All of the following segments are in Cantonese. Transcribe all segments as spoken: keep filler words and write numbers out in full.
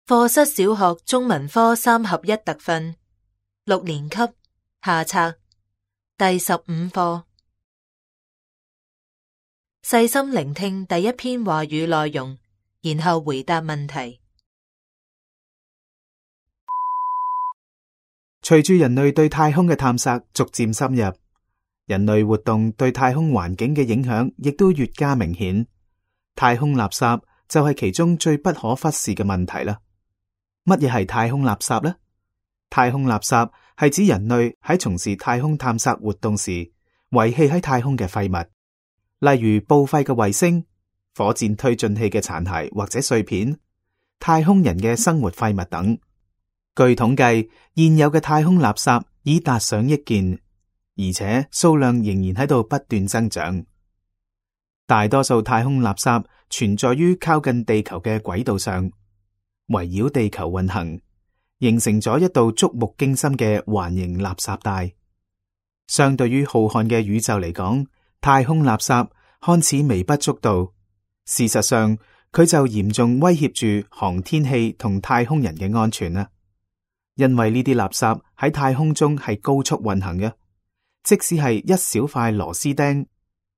課室小學中文科三合一特訓，六年級下冊第十五課。細心聆聽第一篇話語內容，然後回答問題。隨住人類對太空嘅探索逐漸深入，人類活動對太空環境嘅影響亦都越加明顯。太空垃圾就係其中最不可忽視嘅問題啦。乜嘢係太空垃圾呢？太空垃圾係指人類喺從事太空探索活動時遺棄喺太空嘅廢物，例如報廢嘅衛星、火箭推進器嘅殘骸或者碎片、太空人嘅生活廢物等。據統計，現有嘅太空垃圾已達上億件，而且數量仍然喺度不斷增長。大多數太空垃圾存在於靠近地球嘅軌道上，圍繞地球運行，形成咗一道觸目驚心嘅環形垃圾帶。相對於浩瀚嘅宇宙嚟講，太空垃圾看似微不足道，事實上佢就嚴重威脅住航天器同太空人嘅安全啦。因為呢啲垃圾喺太空中係高速運行嘅，即使係一小塊螺絲釘，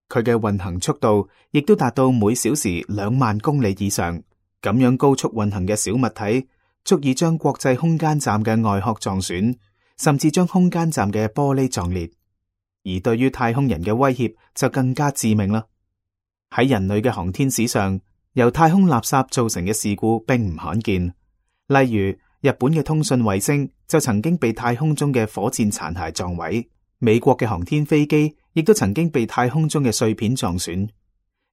佢嘅運行速度亦都達到每小時兩萬公里以上。咁樣高速運行嘅小物體，足以將國際空間站嘅外殼撞損，甚至將空間站嘅玻璃撞裂。而對於太空人嘅威脅就更加致命啦。喺人類嘅航天史上，由太空垃圾造成嘅事故並唔罕見，例如日本嘅通訊衛星就曾經被太空中嘅火箭殘骸撞毀，美國嘅航天飛機亦都曾經被太空中嘅碎片撞損。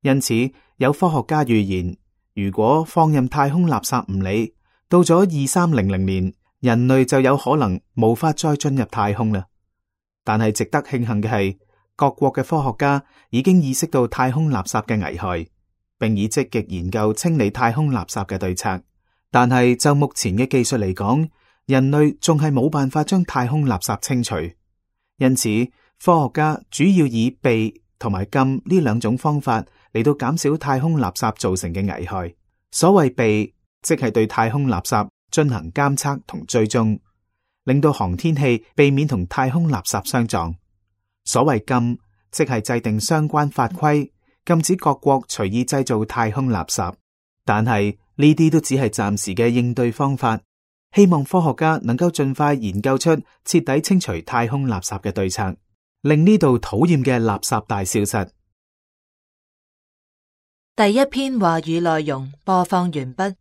因此，有科學家預言，如果放任太空垃圾唔理，到咗二三零零年，人類就有可能無法再進入太空啦。但係值得慶幸嘅係，各國嘅科學家已經意識到太空垃圾嘅危害，並以積極研究清理太空垃圾嘅對策。但係就目前嘅技術嚟講，人類仲係冇辦法將太空垃圾清除。因此，科學家主要以避同埋禁呢兩種方法嚟到減少太空垃圾造成嘅危害。所謂避，即係對太空垃圾進行監測同追蹤，令到航天器避免同太空垃圾相撞。所謂禁，即係制定相關法規，禁止各國隨意製造太空垃圾。但係呢啲都只係暫時嘅應對方法，希望科學家能夠盡快研究出徹底清除太空垃圾嘅對策，令呢度討厭嘅垃圾帶消失。第一篇話語內容播放完畢。